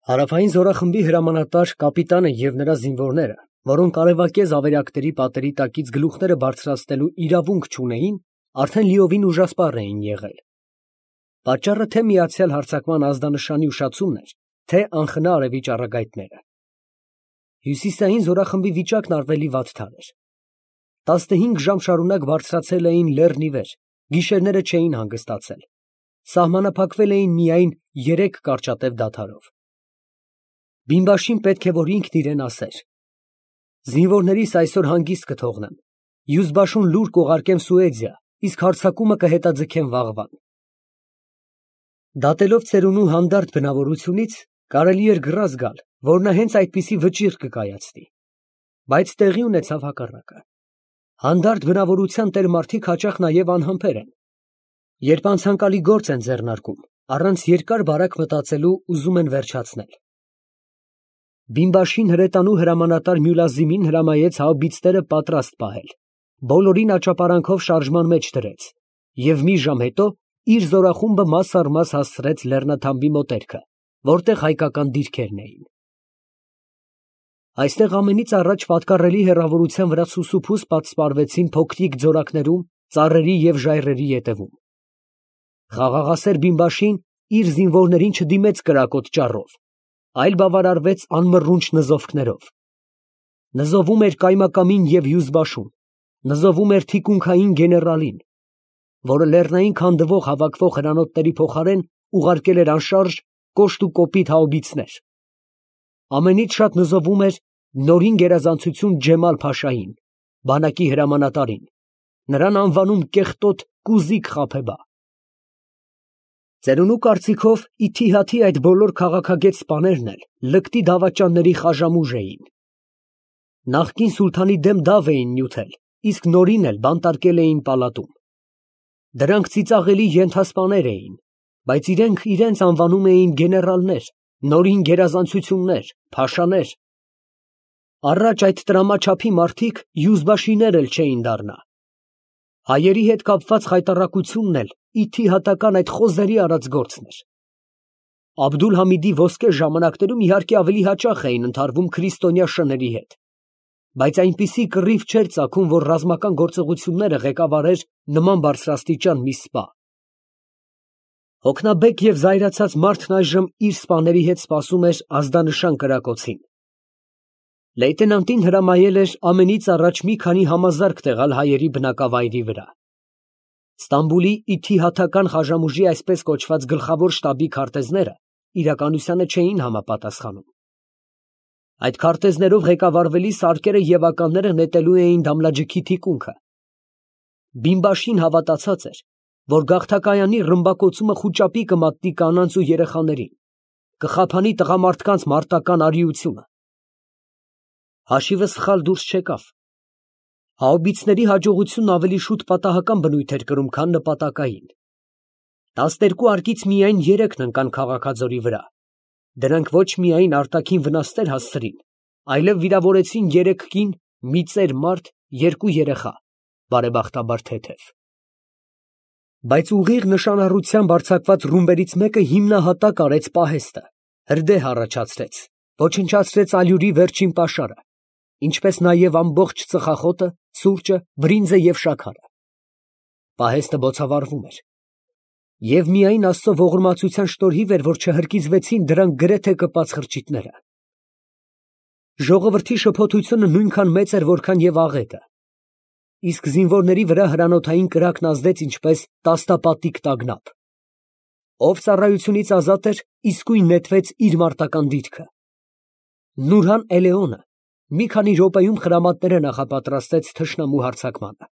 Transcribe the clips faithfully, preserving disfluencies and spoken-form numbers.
Հարավային զորախմբի հրամանատար կապիտանը և նրա զինվորները, որոնք արևակեզ ավերակների պատերի տակից գլուխները բարձրացնելու իրավունք չունեին, արդեն լիովին ուժասպառ էին եղել. պատճառը թե՛ միացյալ հարձակման ազդանշանի ուշացումն էր, թե՛ անխնա արևի ճառագայթները։ Հյուսիսային զորախմբի վիճակն ավելի վատթար էր. տասնհինգ ժամ շարունակ բարձրացել էին լեռն ի վեր, գիշերները չէին հանգստացել, սահմանափակվել էին միայն երեք կարճատև դադարով։ Բիմբաշին պետք է որ ինքն իրան ասեր. «Զինվորներիս այսօր հանգիստ կթողնեմ, Եուզբաշուն լուր կուղարկեմ Սուեձիա, իսկ հարձակումը կհետաձգեմ վաղվան»։ Դատելով ծերունու հանդարտ բնավորությունից, կարելի էր գրազ գալ, որ նա հենց այդպիսի վճիռ կկայացնի, բայց տեղի ունեցավ հակառակը։ Հանդարտ բնավորության տեր մարդիկ հաճախ նաև անհամբեր են. երբ անցանկալի գործ են ձեռնարկում, առանց երկար֊բարակ մտածելու ուզում են վերջացնել։ Բիմբաշին հրետանու հրամանատար Մյուլազիմին հրամայեց հաուբիցները պատրաստ պահել, բոլորին աճապարանքով շարժման մեջ դրեց և մի ժամ հետո իր զորախումբը մաս առ մաս հասցրեց լեռնաթամբի մոտերքը, որտեղ հայկական դիրքերն էին։ Այստեղ ամենից առաջ պատկառելի հեռավորության վրա սուսուփուս պատսպարվեցին փոքրիկ ձորակներում, ծառերի և ժայռերի ետևում։ Խաղաղասեր բիմբաշին իր զինվորներին չդիմեց կրակոտ ճառով, այլ բավարարվեց անմռունչ նզովքներով։ Նզովում էր կայմակամին և Եուզբաշուն, նզովում էր թիկունքային գեներալին, որը լեռնային քանդվող հավաքվող հրանոթների փոխարեն ուղարկել էր անշարժ, կոշտ ու կոպիտ հաուբիցներ։ Ամենից շատ նզովում էր նորին գերազանցություն Ջեմալ֊փաշային, բանակի հրամանատարին, նրան անվանում կեղտոտ Կուզիկ֊Խաբեբա։ Ծերունու կարծիքով, ի թիհաթի այդ բոլոր քաղաքագետ սպաներն էլ լկտի դավաճանների խաժամուժ էին։ Նախկին սուլթանի դեմ դավ էին նյութել, իսկ նորին էլ բանտարկել էին պալատում։ Դրանք ծիծաղելի ենթասպաներ էին, բայց իրենք իրենց անվանում էին գեներալներ, նորին գերազանցություններ, փաշաներ։ Առաջ այդ տրամաչափի մարդիկ Եուզբաշիներ էլ չէին դառնա։ Հայերի հետ կապված խայտառակությունն էլ ի թիհատական այդ խոզերի արած գործն էր։ Աբդուլ֊Համիդի ոսկե ժամանակներում իհարկե ավելի հաճախ էին ընդհարվում քրիստոնյա շների հետ, բայց այնպիսի կռիվ չէր ծագում, որ ռազմական գործողությունները ղեկավարեր նման բարձրաստիճան մի սպա։ Հոգնաբեկ և զայրացած մարդն այժմ իր սպաների հետ սպասում էր ազդանշան կրակոցին։ Լեյտենանտին հրամայել էր ամենից առաջ մի քանի համազարկ տեղալ հայերի բնակավայրի վրա։ Ստամբուլի ի թիհաթական խաժամուժի այսպես կոչված գլխավոր շտաբի քարտեզները իրականությանը չէին համապատասխանում։ Այդ քարտեզներով ղեկավարվելի սարկերը և ականները նետելու էին Դամլաջիքի թիկունքը։ Բիմբաշին հավատացած էր, որ գաղթակայանի ռմբակոծումը խուճապի կմատնի կանանց ու երեխաներին, կխաբանի տղամարդկանց մարտական արիությունը։ Հաշիվը սխալ դուրս չեկավ։ Հաուբիցների հաջողությունն ավելի շուտ պատահական բնույթ էր կրում, քան նպատակային։ Տասներկու արկից միայն երեքն ընկան քաղաքաձորի վրա։ Դրանք ոչ միայն արտաքին վնասներ հասցրին, այլև վիրավորեցին երեք կին, մի ծեր մարդ, երկու երեխա, բարեբախտաբար թեթև։ Բայց ուղիղ նշանառությամբ արձակված ռումբերից մեկը հիմնահատակ արեց պահեստը, հրդեհ առաջացրեց, ոչնչացրեց ալյուրի վերջին պաշարը, ինչպես նաև ամբողջ ծխախոտը, սուրճը, բրինձը և շաքարը։ Պահեստը բոցավառվում էր։ Եվ միայն Աստծո ողորմածության շնորհիվ էր, որ չհրկիզվեցին դրանք գրեթե կպած խրճիթները։ Ժողովրդի շփոթությունը նույնքան մեծ էր, որքան և աղետը։ Իսկ զինվորների վրա հրանոթային կրակն ազդեց ինչպես տասնապատիկ տագնապ։ Ով ծառայությունից ազատ էր, իսկույն նետվեց իր մարտական դիրքը։ Նուրհան Էլեոնը մի քանի րոպեում խրամատները նախապատրաստեց թշնամու հարձակմանը։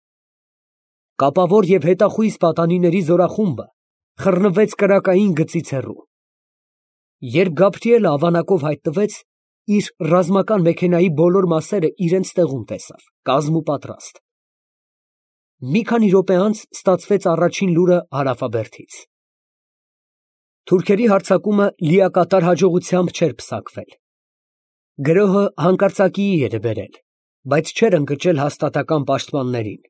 Կապավոր և հետախույզ պատանիների զորախումբը խռնվեց կրակային գծից հեռու։ Երբ Գաբրիելը ավանակով հայտնվեց, իր ռազմական մեքենայի բոլոր մասերը իրենց տեղում տեսավ, կազմուպատրաստ։ Մի քանի րոպե անց ստացվեց առաջին լուրը հարավաբերդից։ Թուրքերի հարձակումը լիակատար հաջողությամբ չէր պսակվել։ Գրոհը հանկարծակիի էր բերել, բայց չէր ընկճել հաստատակամ պաշտպաններին։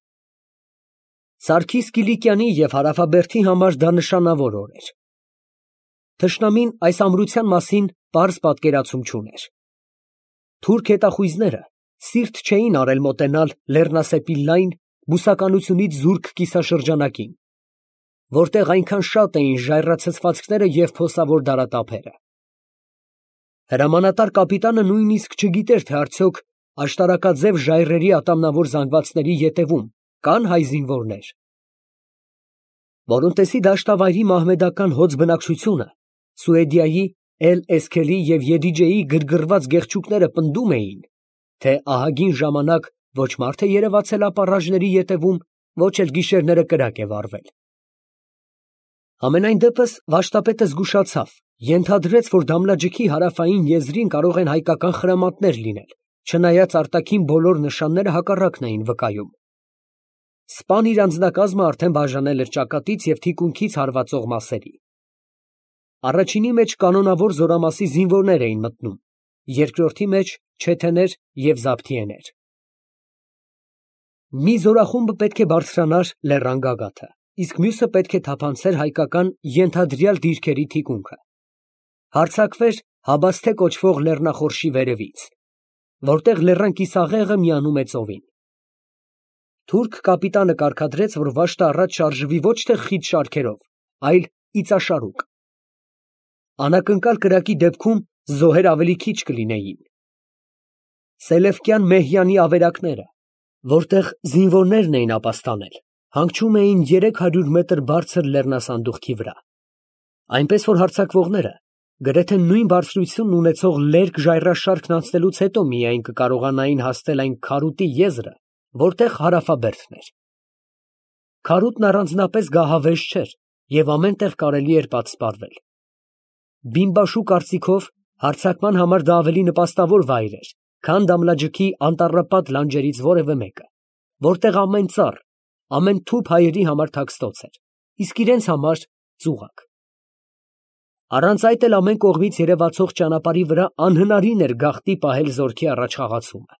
Սարգիս Կիլիկյանի և Հարավաբերդի համար դա նշանավոր օր էր։ Թշնամին այս ամրության մասին պարզ պատկերացում չուներ։ Թուրք հետախույզները սիրտ չէին արել մոտենալ լեռնասեպի լայն, բուսականությունից զուրկ կիսաշրջանակին, որտեղ այնքան շատ էին ժայռացցվածքները և փոսավոր դարատափերը։ Հրամանատար կապիտանը նույնիսկ չգիտեր, թե արդյոք աշտարակաձև ժայռերի ատամնավոր զանգվածների ետևում կան հայ զինվորներ։ Որոնտեսի դաշտավայրի մահմեդական հոծ բնակչությունը Սուեդիայի, Էլ֊Էսքելի և Եդիջեի գրգռված գեղչուկները պնդում էին, թե ահագին ժամանակ ոչ մարդ է երևացել ապառաժների ետևում, ոչ էլ գիշերները կրակ է վառվել։ Համենայն դեպս վաշտապետը զգուշացավ, ենթադրեց, որ Դամլաջիքի հարավային եզրին կարող են հայկական խրամատներ լինել, չնայած արտաքին բոլոր նշանները հակառակն էին վկայում։ Սպան իր անձնակազմը արդեն բաժանել էր ճակատից և թիկունքից հարվածող մասերի։ Առաջինի մեջ կանոնավոր զորամասի զինվորներ էին մտնում, երկրորդի մեջ չեթեներ և զաբթիեներ։ Մի զորախումբը պետք է բարձրանար լեռան գագաթը, իսկ մյուսը պետք է թափանցեր հայկական ենթադրյալ դիրքերի թիկունքը, հարձակվեր Հաբասթե կոչվող լեռնախորշի վերևից, որտեղ լեռան կիսաղեղը միանում է ծովին։ Թուրք կապիտանը կարգադրեց, որ վաշտը առաջ շարժվի ոչ թե խիտ շարքերով, այլ իծաշարուկ։ Անակնկալ կրակի դեպքում զոհեր ավելի քիչ կլինեին։ Սելևկյան Մեհյանի ավերակները, որտեղ զինվորներն էին ապաստանել, հանգչում էին երեք հարյուր մետր բարձր լեռնասանդուղքի վրա, այնպես որ հարձակվողները գրեթե նույն բարձրությունն ունեցող լերկ ժայռաշարքն անցնելուց հետո միայն կկարողանային հասնել այն քարուտի եզրը, որտեղ հարավաբերդն էր։ Քարուտն առանձնապես գահավեժ չէր և ամեն տեղ կարելի էր պատսպարվել։ Բիմբաշու կարծիքով հարձակման համար դա ավելի նպաստավոր վայր էր, քան Դամլաջիքի անտառապատ լանջերից որևէ մեկը, որտեղ ամեն ծառ, ամեն թուփ հայերի համար թաքստոց էր, իսկ իրենց համար ծուղակ։ Առանց այդ էլ ամեն կողմից երևացող ճանապարհի վրա անհնարին էր գաղտնի պահել զորքի առաջխաղացումը։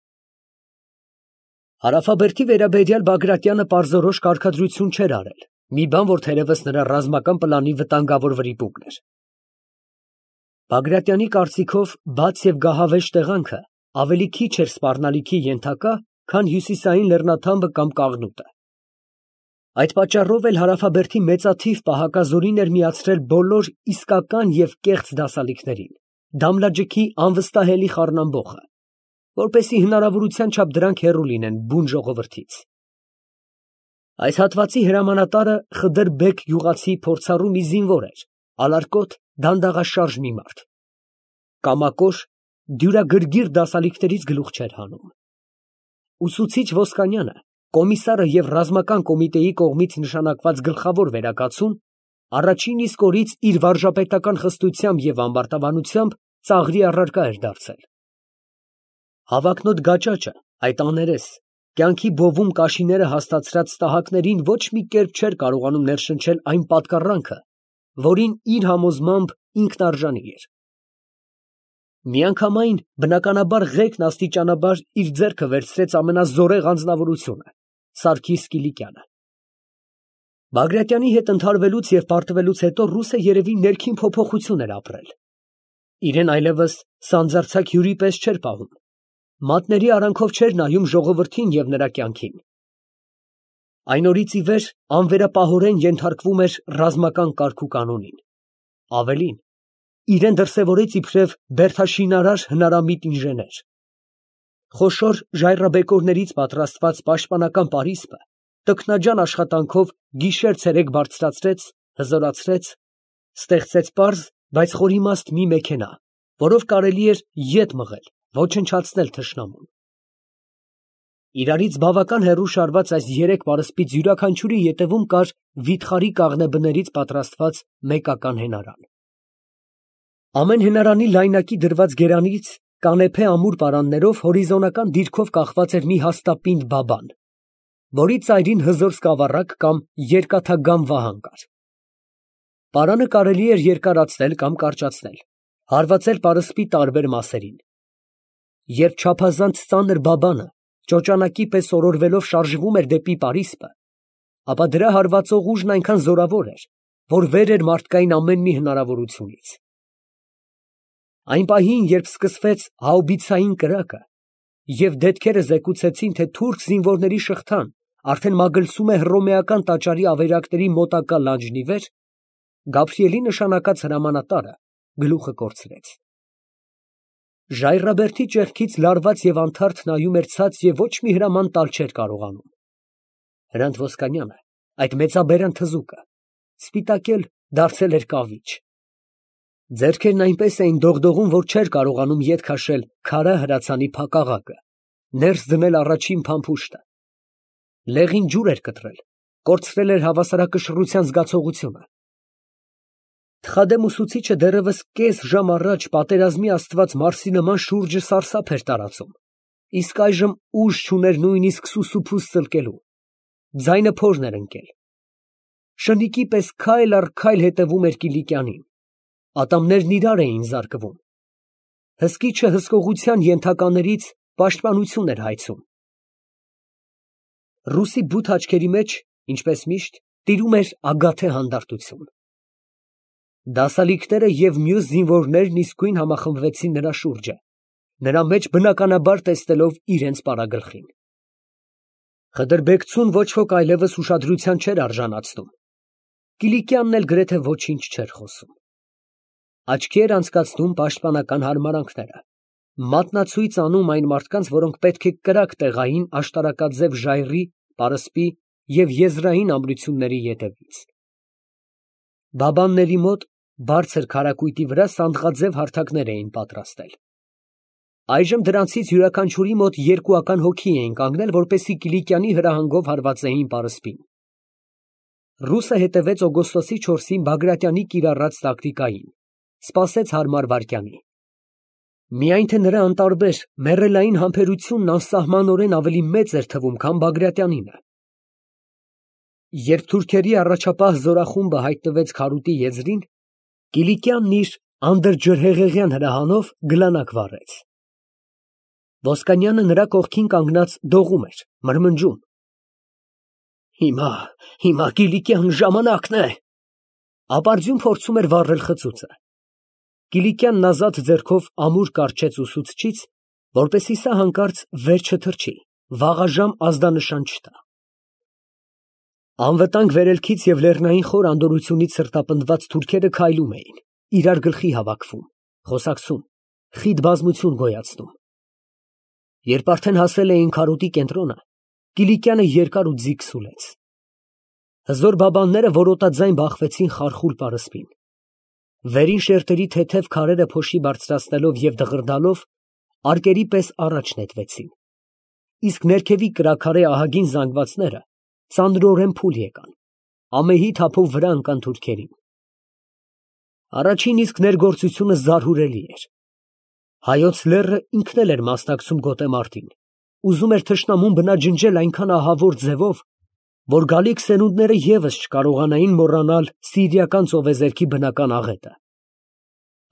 Հարավաբերդի վերաբերյալ Բագրատյանը պարզորոշ կարգադրություն չէր արել, մի բան, որ թերևս նրա ռազմական պլանի վտանգավոր վրիպուկն էր։ Բագրատյանի կարծիքով բաց և գահավեժ տեղանքը ավելի քիչ էր սպառնալիքի ենթակա, քան հյուսիսային լեռնաթամբը կամ Կաղնուտը։ Այդ պատճառով էլ Հարավաբերդի մեծաթիվ պահակազորին էր միացրել բոլոր իսկական և կեղծ դասալիքներին, Դամլաջիքի անվստահելի խառնամբոխը, որպեսզի հնարավորության չափ դրանք հեռու լինեն բուն ժողովրդից։ Այս հատվածի հրամանատարը Խդր֊բեգ գյուղացի փորձառու մի զինվոր էր, ալարկոտ, դանդաղաշարժ մի մարդ։ Կամակոր, դյուրագրգիռ դասալիքներից գլուխ չէր հանում։ Ուսուցիչ Ոսկանյանը, կոմիսարը և ռազմական կոմիտեի կողմից նշանակված գլխավոր վերակացուն, առաջին իսկ օրից իր վարժապետական խստությամբ և ամբարտավանությամբ ծաղրի առարկա էր դարձել։ Հավակնոտ գաճաճը, այդ աներես, կյանքի բովում կաշիները հաստացրած տահակներին ոչ մի կերպ չէր կարողանում ներշնչել այն պատկառանքը, որին իր համոզմամբ ինքն արժանի էր։ Միանգամայն, բնականաբար, ղեկն աստիճանաբար իր ձեռքը վերցրեց ամենազորեղ անձնավորությունը՝ Սարգիս Կիլիկյանը։ Բագրատյանի հետ ընդհարվելուց և պարտվելուց հետո ռուսը երևի ներքին փոփոխություն էր ապրել։ Իրեն այլևս սանձարձակ հյուրի պես չէր պահում, մատների արանքով չէր նայում ժողովրդին և նրա կյանքին։ Այն օրից ի վեր անվերապահորեն ենթարկվում էր ռազմական կարգուկանոնին։ Ավելին, իրեն դրսևորեց իբրև բերդաշինարար հնարամիտ ինժեներ։ Խոշոր ժայռաբեկորներից պատրաստված պաշտպանական պարիսպը տքնաջան աշխատանքով գիշեր֊ցերեկ բարձրացրեց, հզորացրեց, ստեղծեց պարզ, բայց խորիմաստ մի մեքենա, որով կարելի էր ետ մղել, ոչնչացնել թշնամուն։ Իրարից բավական հեռու շարված այս երեք պարսպից յուրաքանչյուրի ետևում կար վիթխարի կաղնե բներից պատրաստված մեկական հենարան։ Ամեն հենարանի լայնակի դրված գերանից կանեփե ամուր պարաններով հորիզոնական դիրքով կախված էր մի հաստապինդ բաբան, որի ծայրին հզոր սկավառակ կամ երկաթագամ վահան կար։ Պարանը կարելի էր երկարացնել կամ կարճացնել, հարվածել պարսպի տարբեր մասերին։ Երբ չափազանց ծանր բաբանը ճոճանակի պես օրորվելով շարժվում էր դեպի պարիսպը, ապա դրա հարվածող ուժն այնքան զորավոր էր, որ վեր էր մարդկային ամեն մի հնարավորությունից։ Այն պահին, երբ սկսվեց հաուբիցային կրակը, և դետքերը զեկուցեցին, թե թուրք զինվորների շղթան արդեն մագլցում է հռոմեական տաճարի ավերակների մոտակա լանջն ի վեր, Գաբրիելի նշանակած հրամանատարը գլուխը կորցրեց։ Ժայռաբերդի ճեղքից լարված և անթարթ նայում էր ցած և ոչ մի հրաման տալ չէր կարողանում։ Հրանտ Ոսկանյանը, այդ մեծաբերան թզուկը, սպիտակել դարձել էր կավիճ։ Ձեռքերն այնպես էին դողդողում, որ չէր կարողանում ետ քաշել քարա հրացանի փակաղակը, ներս դնել առաջին փամփուշտը։ Լեղին ջուր էր կտրել, կորցրել էր հավասարակշռության զգացողությունը։ Թխադեմ ուսուցիչը դեռևս կես ժամ առաջ պատերազմի աստված Մարսի նման շուրջը սարսափ էր տարածում, իսկ այժմ ուժ չուներ նույնիսկ սուսուփուս ծլկելու, ձայնը փորն էր ընկել։ Շնիկի պես քայլ առ քայլ հետևում էր Կիլիկյանին, ատամներն իրար էին զարկվում։ Հսկիչը հսկողության ենթականերից պաշտպանություն էր հայցում։ Ռուսի բութ աչքերի մեջ, ինչպես միշտ, տիրում էր ագաթե հանդարտություն։ Դասալիկները և մյուս զինվորներն իսկույն համախմբվեցին նրա շուրջը, նրա մեջ բնականաբար տեսնելով իրենց պարագլխին։ Խդրբեկցուն ոչ ոք այլևս ուշադրության չէր արժանացնում։ Կիլիկյանն էլ գրեթե ոչինչ չէր խոսում։ Աչքի էր անցկացնում պաշտպանական հարմարանքները, մատնացույց անում այն մարդկանց, որոնք պետք է կրակ տեղային աշտարակաձև ժայռի, պարսպի և եզրային ամրությունների ետևից։ Բաբանների մոտ բարձր քարակույտի վրա սանդղաձև հարթակներ էին պատրաստել։ Այժմ դրանցից յուրաքանչյուրի մոտ երկուական հոգի էին կանգնել, որպեսզի Կիլիկյանի հրահանգով հարվածեին պարսպին։ Ռուսը հետևեց օգոստոսի չորսին Բագրատյանի կիրառած տակտիկային, սպասեց հարմար վայրկյանի։ Միայն թե նրա անտարբեր, մեռելային համբերությունն անսահմանորեն ավելի մեծ էր թվում, քան Բագրատյանինը։ Երբ թուրքերի առաջապահ զորախումբը հայտնվեց քարուտի եզրին, Կիլիկյանն իր անդրջրհեղեղյան հրահանով գլանակ վառեց։ Ոսկանյանը նրա կողքին կանգնած դողում էր, մրմնջում. Հիմա, հիմա Կիլիկյան, ժամանակն է։ Ապարդյուն փորձում էր վառել խծուծը։ Կիլիկյանն ազատ ձեռքով ամուր կառչեց ուսուցչից, որպեսզի սա հանկարծ վեր չթռչի, վաղաժամ ազդանշան չտա։ Անվտանգ վերելքից և լեռնային խոր անդորրությունից սրտապնդված թուրքերը քայլում էին, իրար գլխի հավաքվում, խոսակցում, խիտ բազմություն գոյացնում։ Երբ արդեն հասել էին քարոտի կենտրոնը, Կիլիկյանը երկար ու ձիգ սուլեց։ Հզոր բաբանները որոտաձայն բախվեցին խարխուլ պարսպին։ Վերին շերտերի թեթև քարերը փոշի բարձրացնելով և դղրդալով, արկերի պես առաջ նետվեցին, իսկ ներքևի կրաքարե ահագին զանգվածները ծանրորեն փուլ եկան, ամեհի թափով վրա ընկան թուրքերին։ Առաջին իսկ ներգործությունը զարհուրելի էր։ Հայոց լեռը ինքն էլ էր մասնակցում գոտեմարտին, ուզում էր թշնամուն բնաջնջել այնքան ահավոր ձևով, որ գալիք սերունդները ևս չկարողանային մոռանալ սիրիական ծովեզերքի բնական աղետը։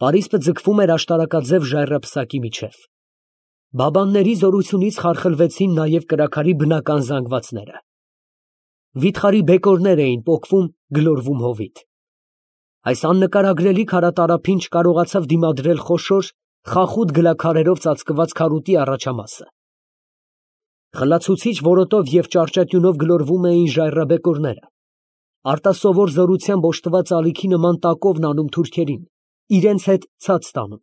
Պարիսպը ձգվում էր աշտարակաձև ժայռապսակի միջև։ Բաբանների զորությունից խարխլվեցին նաև կրաքարի բնական զանգվածները։ Վիթխարի բեկորներ էին պոկվում, գլորվում հովիտ։ Այս աննկարագրելի քարատարափին չկարողացավ դիմադրել խոշոր, խախուտ գլաքարերով ծածկված քարուտի առաջամասը։ Խլացուցիչ որոտով և ճարճատյունով գլորվում էին ժայռաբեկորները, արտասովոր զորությամբ օժտված ալիքի նման տակովն անում թուրքերին, իրենց հետ ցած տանում։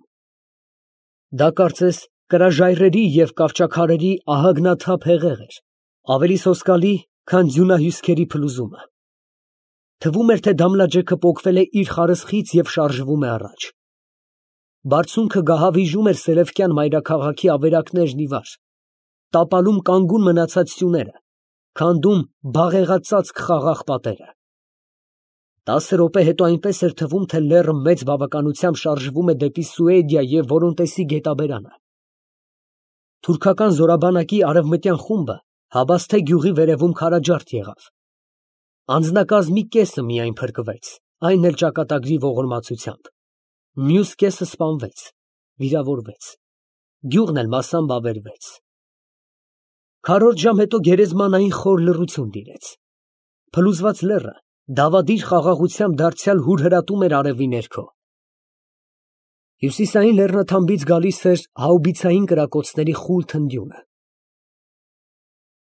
Դա կարծես կրաժայռերի և կավճաքարերի ահագնաթափ հեղեղ էր, ավելի սոսկալի, քան ձյունահյուսքերի փլուզումը։ Թվում էր, թե Դամլաջեքը պոկվել է իր խարսխից և շարժվում է առաջ։ Բարձունքը գահավիժում էր Սելևկյան մայրաքաղաքի ավերակներն ի վար, տապալում կանգուն մնացած սյուները, քանդում բաղեղածածկ խաղաղ պատերը։ Տասը րոպե հետո այնպես էր թվում, թե լեռը մեծ բավականությամբ շարժվում է դեպի Սուեդիա և Որոնտեսի գետաբերանը։ Թուրքական զորաբանակի արևմտյան խումբը Հաբասթե գյուղի վերևում քարաջարդ եղավ։ Անձնակազմի կեսը միայն փրկվեց, այն էլ ճակատագրի ողորմածությամբ, մյուս կեսը սպանվեց, վիրավորվեց, գյուղն էլ մասամբ ավերվեց։ Քառորդ ժամ հետո գերեզմանային խոր լռություն տիրեց։ Փլուզված լեռը Դավադիր խաղաղությամբ դարձյալ հուրհրատում էր արևի ներքո։ Հյուսիսային լեռնաթամբից գալիս էր հաուբիցային կրակոցների խուլ թնդյունը։